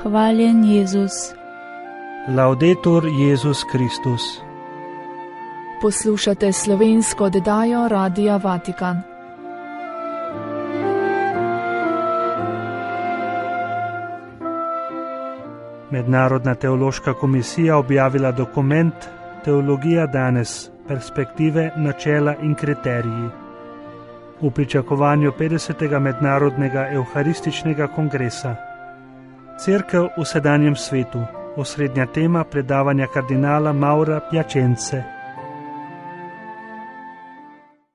Hvaljen Jezus. Laudetur Jezus Kristus. Poslušate slovensko oddajo Radia Vatikan. Mednarodna teološka komisija objavila dokument Teologija danes, perspektive, načela in kriteriji. V pričakovanju 50. mednarodnega evharističnega kongresa. Cerkev v sedanjem svetu, osrednja tema predavanja kardinala Maura Piacenze.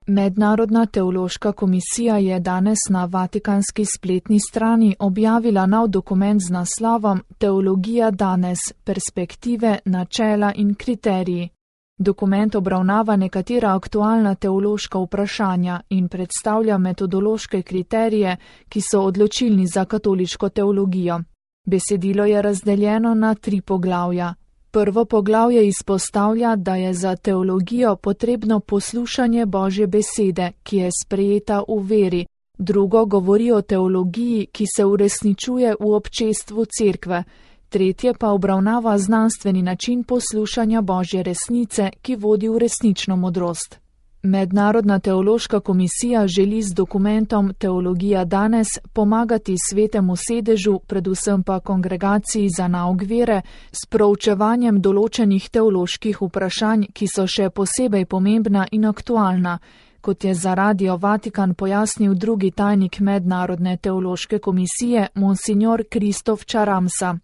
Mednarodna teološka komisija je danes na vatikanski spletni strani objavila nov dokument z naslovom Teologija danes, perspektive, načela in kriteriji. Dokument obravnava nekatera aktualna teološka vprašanja in predstavlja metodološke kriterije, ki so odločilni za katoliško teologijo. Besedilo je razdeljeno na 3 poglavja. Prvo poglavje izpostavlja, da je za teologijo potrebno poslušanje Božje besede, ki je sprejeta v veri. Drugo govori o teologiji, ki se uresničuje v občestvu cerkve. Tretje pa obravnava znanstveni način poslušanja Božje resnice, ki vodi v resnično modrost. Mednarodna teološka komisija želi z dokumentom Teologija danes pomagati Svetemu sedežu, predvsem pa kongregaciji za nauk vere, s proučevanjem določenih teoloških vprašanj, ki so še posebej pomembna in aktualna, kot je za Radio Vatikan pojasnil drugi tajnik Mednarodne teološke komisije, monsignor Kristof Charamsa.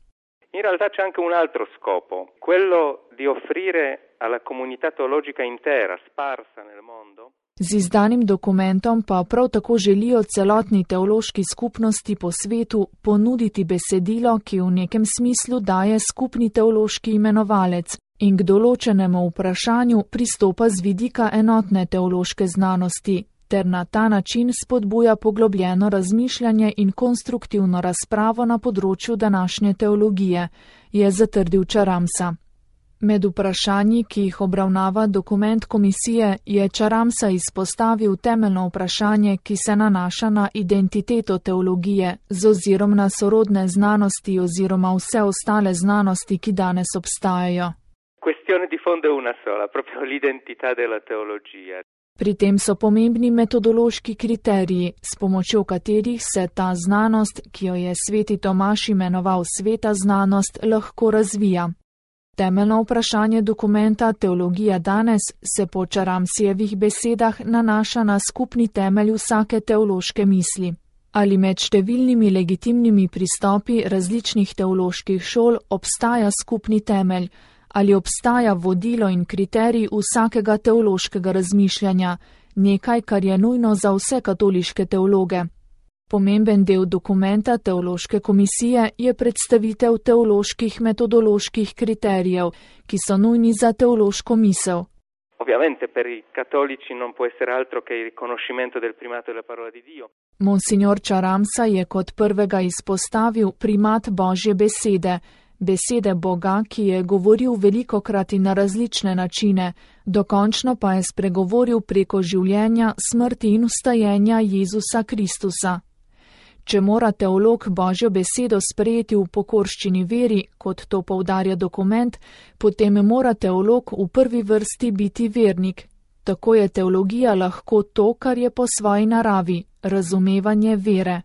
In realtà c'è anche un altro scopo, quello di offrire alla comunità teologica intera, sparsa nel mondo. Z izdanim dokumentom pa prav tako želijo celotni teološki skupnosti po svetu ponuditi besedilo, ki v nekem smislu daje skupni teološki imenovalec in k določenemu vprašanju pristopa z vidika enotne teološke znanosti, ter na ta način spodbuja poglobljeno razmišljanje in konstruktivno razpravo na področju današnje teologije, je zatrdil Charamsa. Med vprašanji, ki jih obravnava dokument komisije, je Charamsa izpostavil temeljno vprašanje, ki se nanaša na identiteto teologije z ozirom na sorodne znanosti oziroma vse ostale znanosti, ki danes obstajajo. Questione di fondo è una sola, proprio l'identità della teologia. Pri tem so pomembni metodološki kriteriji, s pomočjo katerih se ta znanost, ki jo je sveti Tomaž imenoval sveta znanost, lahko razvija. Temeljno vprašanje dokumenta Teologija danes se po Charamsijevih besedah nanaša na skupni temelj vsake teološke misli. Ali med številnimi legitimnimi pristopi različnih teoloških šol obstaja skupni temelj, ali obstaja vodilo in kriterij vsakega teološkega razmišljanja, nekaj, kar je nujno za vse katoliške teologe. Pomemben del dokumenta teološke komisije je predstavitev teoloških metodoloških kriterijev, ki so nujni za teološko misel. Ovviamente per i cattolici non può essere altro che il riconoscimento del primato della parola di Dio. Monsignor Charamsa je kot prvega izpostavil primat Božje besede, besede Boga, ki je govoril velikokrat in na različne načine, dokončno pa je spregovoril preko življenja, smrti in vstajenja Jezusa Kristusa. Če mora teolog Božjo besedo sprejeti v pokorščini veri, kot to poudarja dokument, potem mora teolog v prvi vrsti biti vernik. Tako je teologija lahko to, kar je po svoji naravi, razumevanje vere.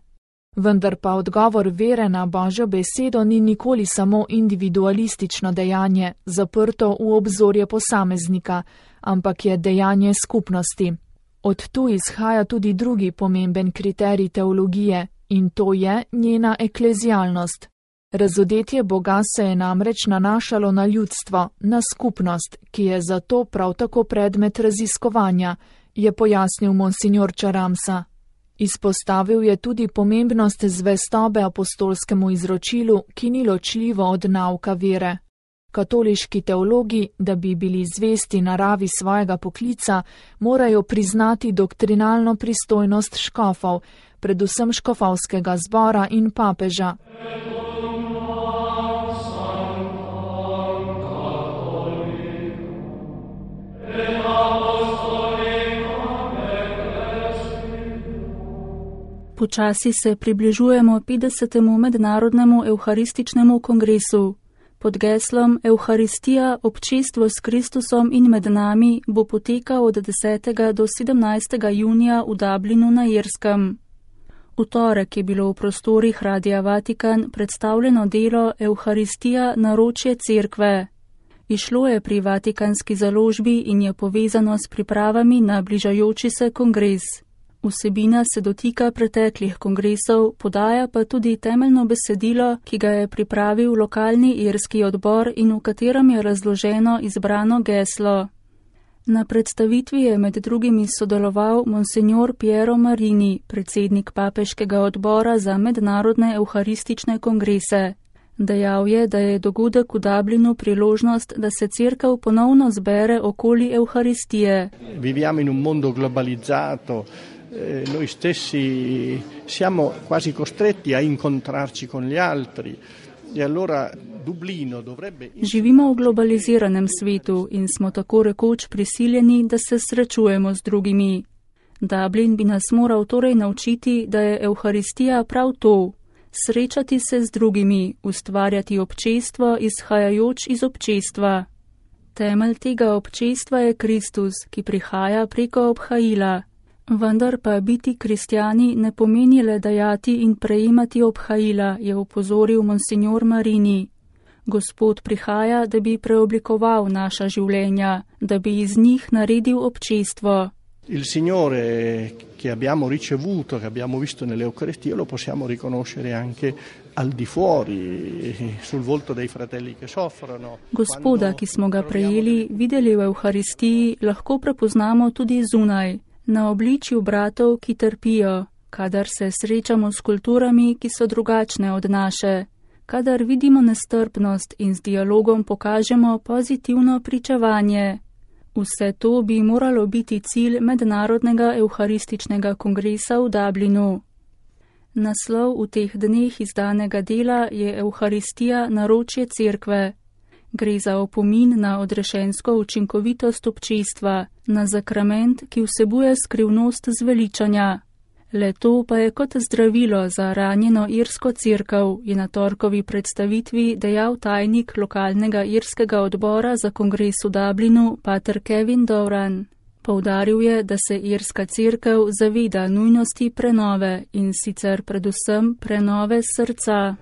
Vendar pa odgovor vere na Božjo besedo ni nikoli samo individualistično dejanje, zaprto v obzorje posameznika, ampak je dejanje skupnosti. Od tu izhaja tudi drugi pomemben kriterij teologije, in to je njena eklezialnost. Razodetje Boga se je namreč nanašalo na ljudstvo, na skupnost, ki je zato prav tako predmet raziskovanja, je pojasnil monsignor Charamsa. Izpostavil je tudi pomembnost zvestobe apostolskemu izročilu, ki ni ločljivo od nauka vere. Katoliški teologi, da bi bili zvesti naravi svojega poklica, morajo priznati doktrinalno pristojnost škofov, predvsem škofovskega zbora in papeža. Počasi se približujemo 50. mednarodnemu evharističnemu kongresu. Pod geslom Evharistija, občestvo s Kristusom in med nami bo potekal od 10. do 17. junija v Dublinu na Irskem. V torek je bilo v prostorih Radia Vatikan predstavljeno delo Evharistija naročje cerkve. Izšlo je pri Vatikanski založbi in je povezano s pripravami na bližajoči se kongres. Vsebina se dotika preteklih kongresov, podaja pa tudi temeljno besedilo, ki ga je pripravil lokalni irski odbor in v katerem je razloženo izbrano geslo. Na predstavitvi je med drugimi sodeloval monsignor Piero Marini, predsednik papeškega odbora za mednarodne evharistične kongrese. Dejal je, da je dogodek v Dublinu priložnost, da se cerkev ponovno zbere okoli Evharistije. Viviamo in un mondo globalizzato. Noi stessi siamo quasi costretti a incontrarci con gli altri e allora Dublino dovrebbe... Živimo v globaliziranem svetu in smo tako rekoč prisiljeni, da se srečujemo z drugimi. Dublin bi nas moral torej naučiti, da je Evharistija prav to. Srečati se z drugimi, ustvarjati občestvo, izhajajoč iz občestva. Temelj tega občestva je Kristus, ki prihaja preko obhajila. Vendar pa biti kristjani ne pomeni le dajati in prejemati obhajila, je opozoril monsignor Marini. Gospod prihaja, da bi preoblikoval naša življenja, da bi iz njih naredil občestvo. Il Signore che abbiamo ricevuto, che abbiamo visto nell'Eucaristia, lo possiamo riconoscere anche al di fuori, sul volto dei fratelli che soffrono. Gospoda, ki smo ga prejeli, videli v Evharistiji, lahko prepoznamo tudi zunaj, na obličju bratov, ki trpijo, kadar se srečamo s kulturami, ki so drugačne od naše, kadar vidimo nestrpnost in z dialogom pokažemo pozitivno pričevanje. Vse to bi moralo biti cilj mednarodnega evharističnega kongresa v Dublinu. Naslov v teh dneh izdanega dela je Evharistija naročje cerkve. Gre za opomin na odrešensko učinkovitost občestva, na zakrament, ki vsebuje skrivnost zveličanja. Le to pa je kot zdravilo za ranjeno irsko cerkev, je na torkovi predstavitvi dejal tajnik lokalnega irskega odbora za kongres v Dublinu, pater Kevin Doran. Poudaril je, da se irska cerkev zaveda nujnosti prenove in sicer predvsem prenove srca.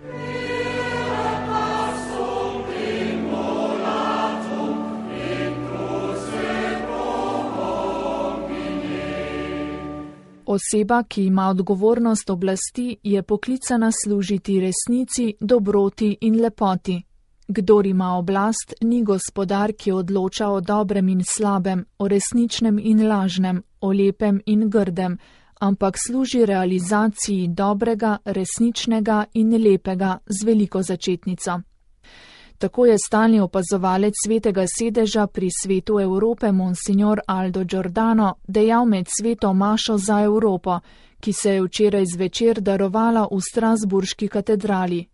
Oseba, ki ima odgovornost oblasti, je poklicana služiti resnici, dobroti in lepoti. Kdor ima oblast, ni gospodar, ki odloča o dobrem in slabem, o resničnem in lažnem, o lepem in grdem, ampak služi realizaciji dobrega, resničnega in lepega z veliko začetnico. Tako je stalni opazovalec Svetega sedeža pri Svetu Evrope monsignor Aldo Giordano dejal med sveto mašo za Evropo, ki se je včeraj zvečer darovala v Strasburški katedrali.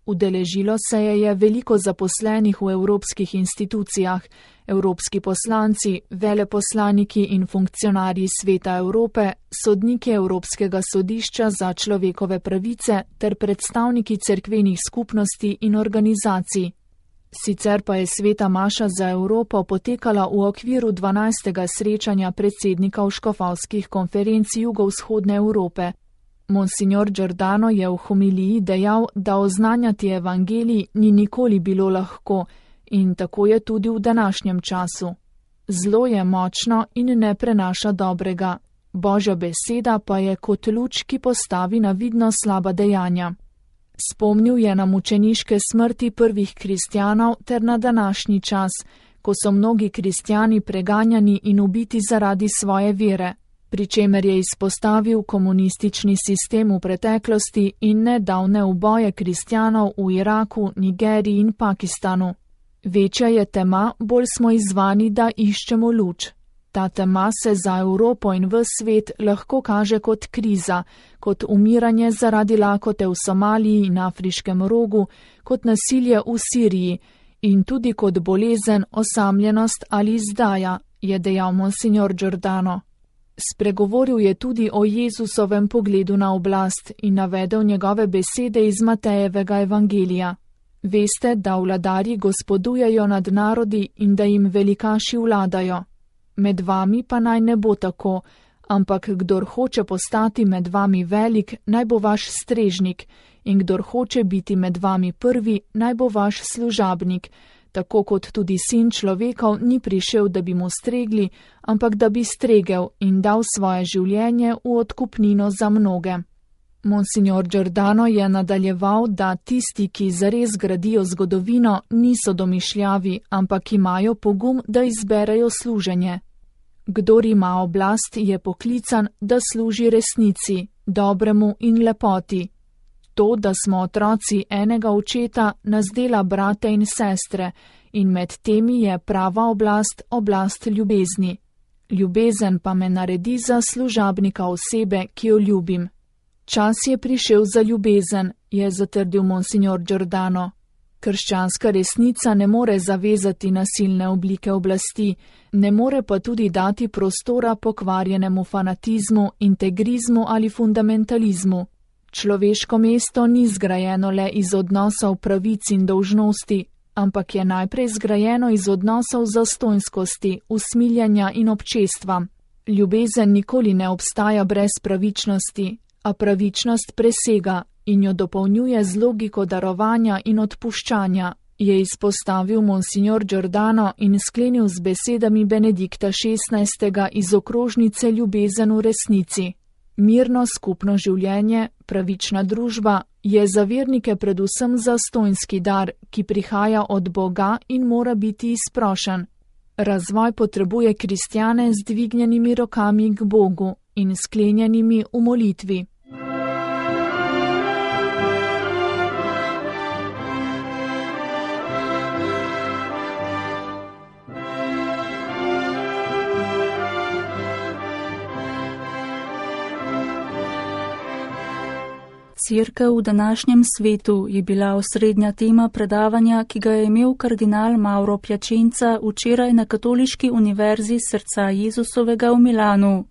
Udeležilo se je veliko zaposlenih v evropskih institucijah, evropski poslanci, veleposlaniki in funkcionarji Sveta Evrope, sodniki Evropskega sodišča za človekove pravice ter predstavniki cerkvenih skupnosti in organizacij. Sicer pa je sveta maša za Evropo potekala v okviru 12. srečanja predsednikov škofovskih konferenc jugovzhodne Evrope. Monsignor Giordano je v homiliji dejal, da oznanjati evangelij ni nikoli bilo lahko in tako je tudi v današnjem času. Zlo je močno in ne prenaša dobrega. Božja beseda pa je kot luč, ki postavi na vidno slaba dejanja. Spomnil je na mučeniške smrti prvih kristjanov ter na današnji čas, ko so mnogi kristjani preganjani in ubiti zaradi svoje vere, pri čemer je izpostavil komunistični sistem v preteklosti in nedavne uboje kristjanov v Iraku, Nigeriji in Pakistanu. Večja je tema, bolj smo izzvani, da iščemo luč. Ta tema se za Evropo in ves svet lahko kaže kot kriza, kot umiranje zaradi lakote v Somaliji in Afriškem rogu, kot nasilje v Siriji in tudi kot bolezen, osamljenost ali izdaja, je dejal monsignor Giordano. Spregovoril je tudi o Jezusovem pogledu na oblast in navedel njegove besede iz Matejevega evangelija. Veste, da vladarji gospodujejo nad narodi in da jim velikaši vladajo. Med vami pa naj ne bo tako, ampak kdor hoče postati med vami velik, naj bo vaš strežnik, in kdor hoče biti med vami prvi, naj bo vaš služabnik, tako kot tudi sin človekov ni prišel, da bi mu stregli, ampak da bi stregel in dal svoje življenje v odkupnino za mnoge. Monsignor Giordano je nadaljeval, da tisti, ki zares gradijo zgodovino, niso domišljavi, ampak imajo pogum, da izberejo služenje. Kdor ima oblast, je poklican, da služi resnici, dobremu in lepoti. To, da smo otroci enega očeta, nas dela brate in sestre, in med temi je prava oblast ljubezni. Ljubezen pa me naredi za služabnika osebe, ki jo ljubim. Čas je prišel za ljubezen, je zatrdil monsignor Giordano. Krščanska resnica ne more zavezati nasilne oblike oblasti, ne more pa tudi dati prostora pokvarjenemu fanatizmu, integrizmu ali fundamentalizmu. Človeško mesto ni zgrajeno le iz odnosov pravic in dolžnosti, ampak je najprej zgrajeno iz odnosov zastonjskosti, usmiljanja in občestva. Ljubezen nikoli ne obstaja brez pravičnosti, a pravičnost presega in jo dopolnjuje z logiko darovanja in odpuščanja, je izpostavil monsignor Giordano in sklenil z besedami Benedikta XVI. Iz okrožnice Ljubezen v resnici. Mirno skupno življenje, pravična družba je za vernike predvsem zastonjski dar, ki prihaja od Boga in mora biti izprošen. Razvoj potrebuje kristjane z dvignjenimi rokami k Bogu in sklenjenimi v molitvi. Cerkev v današnjem svetu je bila osrednja tema predavanja, ki ga je imel kardinal Mauro Piacenza včeraj na Katoliški univerzi Srca Jezusovega v Milanu.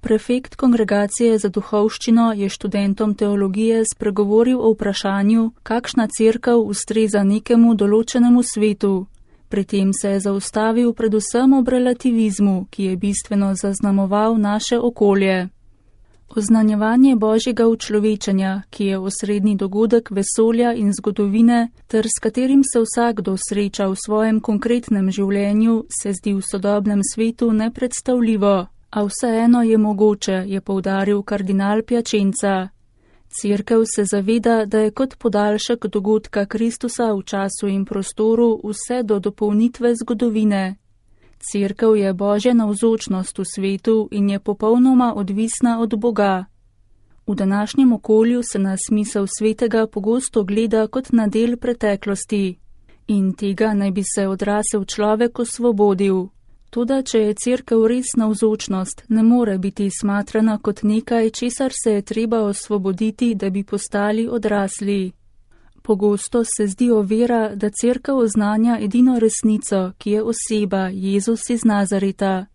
Prefekt kongregacije za duhovščino je študentom teologije spregovoril o vprašanju, kakšna cerkev ustreza nekemu določenemu svetu. Pri tem se je zaustavil predvsem ob relativizmu, ki je bistveno zaznamoval naše okolje. Oznanjevanje Božjega učlovečenja, ki je osrednji dogodek vesolja in zgodovine, ter s katerim se vsakdo sreča v svojem konkretnem življenju, se zdi v sodobnem svetu nepredstavljivo, a vseeno je mogoče, je poudaril kardinal Piacenza. Cerkev se zaveda, da je kot podaljšek dogodka Kristusa v času in prostoru vse do dopolnitve zgodovine. Cerkev je Božja navzočnost v svetu in je popolnoma odvisna od Boga. V današnjem okolju se na smisel svetega pogosto gleda kot na del preteklosti in tega naj bi se odrasel človek osvobodil. Toda, če je cerkev res navzočnost, ne more biti smatrana kot nekaj, česar se je treba osvoboditi, da bi postali odrasli. Pogosto se zdi ovira, da cerkev oznanja edino resnico, ki je oseba, Jezus iz Nazareta.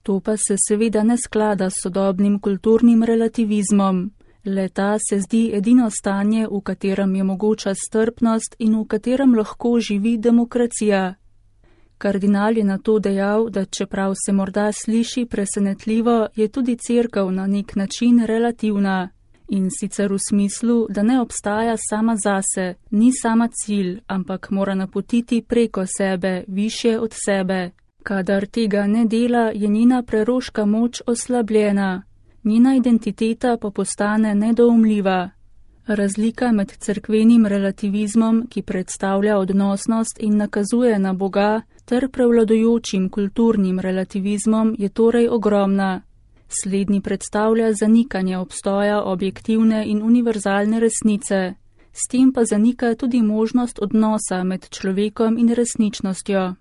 To pa se seveda ne sklada s sodobnim kulturnim relativizmom. Le ta se zdi edino stanje, v katerem je mogoča strpnost in v katerem lahko živi demokracija. Kardinal je na to dejal, da čeprav se morda sliši presenetljivo, je tudi cerkev na nek način relativna. In sicer v smislu, da ne obstaja sama zase, ni sama cilj, ampak mora napotiti preko sebe, višje od sebe. Kadar tega ne dela, je njena preroška moč oslabljena, njena identiteta pa postane nedoumljiva. Razlika med cerkvenim relativizmom, ki predstavlja odnosnost in nakazuje na Boga, ter prevladujočim kulturnim relativizmom je torej ogromna. Slednji predstavlja zanikanje obstoja objektivne in univerzalne resnice, s tem pa zanika tudi možnost odnosa med človekom in resničnostjo.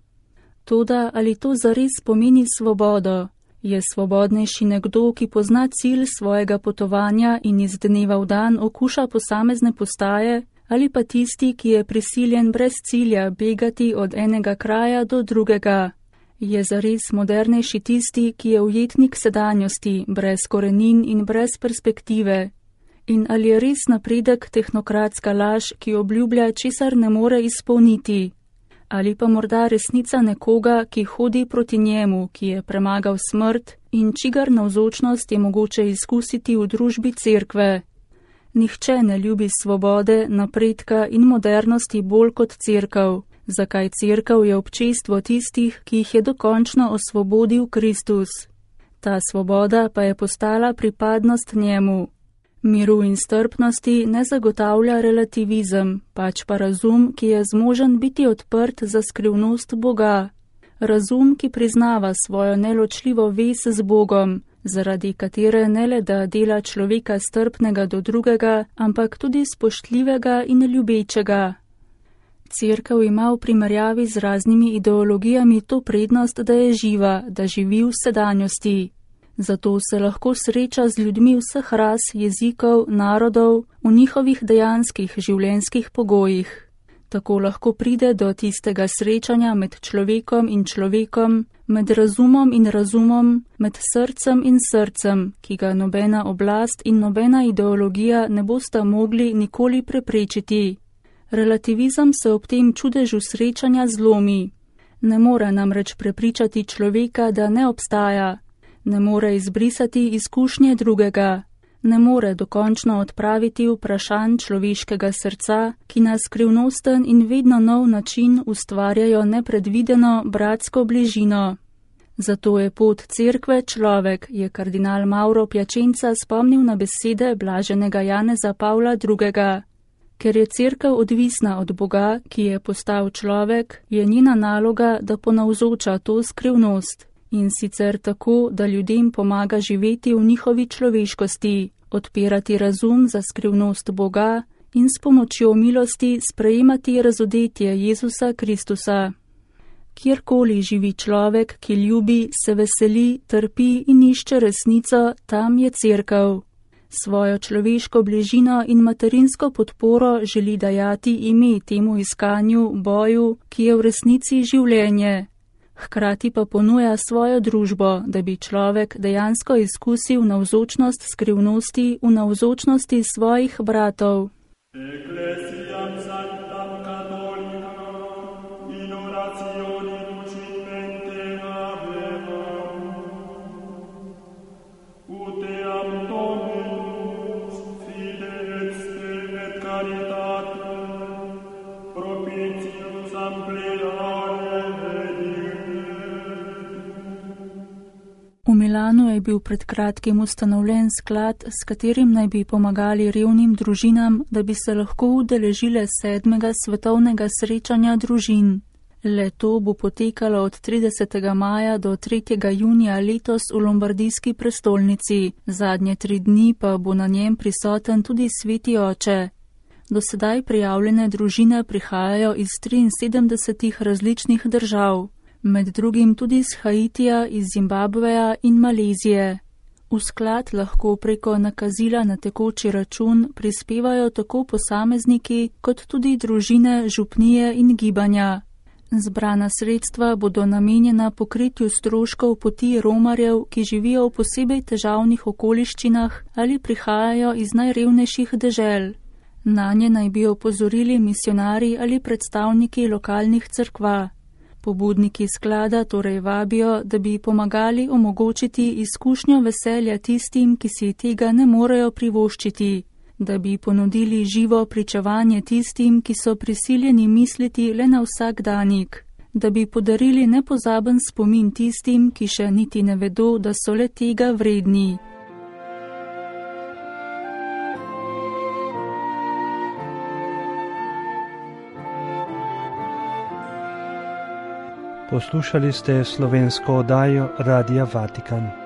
Toda ali to zares pomeni svobodo? Je svobodnejši nekdo, ki pozna cilj svojega potovanja in iz dneva v dan okuša posamezne postaje, ali pa tisti, ki je prisiljen brez cilja begati od enega kraja do drugega? Je zares modernejši tisti, ki je ujetnik sedanjosti, brez korenin in brez perspektive? In ali je res napredek tehnokratska laž, ki obljublja, česar ne more izpolniti? Ali pa morda resnica nekoga, ki hodi proti njemu, ki je premagal smrt in čigar navzočnost je mogoče izkusiti v družbi cerkve? Nihče ne ljubi svobode, napredka in modernosti bolj kot cerkev. Zakaj cerkev je občestvo tistih, ki jih je dokončno osvobodil Kristus. Ta svoboda pa je postala pripadnost njemu. Miru in strpnosti ne zagotavlja relativizem, pač pa razum, ki je zmožen biti odprt za skrivnost Boga. Razum, ki priznava svojo neločljivo vez z Bogom, zaradi katere ne le da dela človeka strpnega do drugega, ampak tudi spoštljivega in ljubečega. Cerkev ima v primerjavi z raznimi ideologijami to prednost, da je živa, da živi v sedanjosti. Zato se lahko sreča z ljudmi vseh ras, jezikov, narodov, v njihovih dejanskih življenjskih pogojih. Tako lahko pride do tistega srečanja med človekom in človekom, med razumom in razumom, med srcem in srcem, ki ga nobena oblast in nobena ideologija ne bosta mogli nikoli preprečiti. Relativizem se ob tem čudežu srečanja zlomi. Ne more namreč prepričati človeka, da ne obstaja. Ne more izbrisati izkušnje drugega. Ne more dokončno odpraviti vprašanj človeškega srca, ki na skrivnosten in vedno nov način ustvarjajo nepredvideno bratsko bližino. Zato je pot cerkve človek, je kardinal Mauro Piacenza spomnil na besede blaženega Janeza Pavla II. Ker je cerkev odvisna od Boga, ki je postal človek, je njena naloga, da ponavzoča to skrivnost. In sicer tako, da ljudem pomaga živeti v njihovi človeškosti, odpirati razum za skrivnost Boga in s pomočjo milosti sprejemati razodetje Jezusa Kristusa. Kjerkoli živi človek, ki ljubi, se veseli, trpi in išče resnico, tam je cerkev. Svojo človeško bližino in materinsko podporo želi dajati ime temu iskanju, boju, ki je v resnici življenje. Hkrati pa ponuja svojo družbo, da bi človek dejansko izkusil navzočnost skrivnosti v navzočnosti svojih bratov. V Milanu je bil pred kratkim ustanovljen sklad, s katerim naj bi pomagali revnim družinam, da bi se lahko udeležile 7. svetovnega srečanja družin. Le to bo potekalo od 30. maja do 3. junija letos v lombardijski prestolnici, zadnje 3 dni pa bo na njem prisoten tudi Sveti Oče. Do sedaj prijavljene družine prihajajo iz 73 različnih držav. Med drugim tudi iz Haitija, iz Zimbabveja in Malezije. V sklad lahko preko nakazila na tekoči račun prispevajo tako posamezniki, kot tudi družine, župnije in gibanja. Zbrana sredstva bodo namenjena pokritju stroškov poti romarjev, ki živijo v posebej težavnih okoliščinah ali prihajajo iz najrevnejših dežel. Nanje naj bi opozorili misionarji ali predstavniki lokalnih cerkva. Pobudniki sklada torej vabijo, da bi pomagali omogočiti izkušnjo veselja tistim, ki si tega ne morejo privoščiti, da bi ponudili živo pričevanje tistim, ki so prisiljeni misliti le na vsakdanik, da bi podarili nepozaben spomin tistim, ki še niti ne vedo, da so le tega vredni. Poslušali ste slovensko oddajo Radia Vatikan.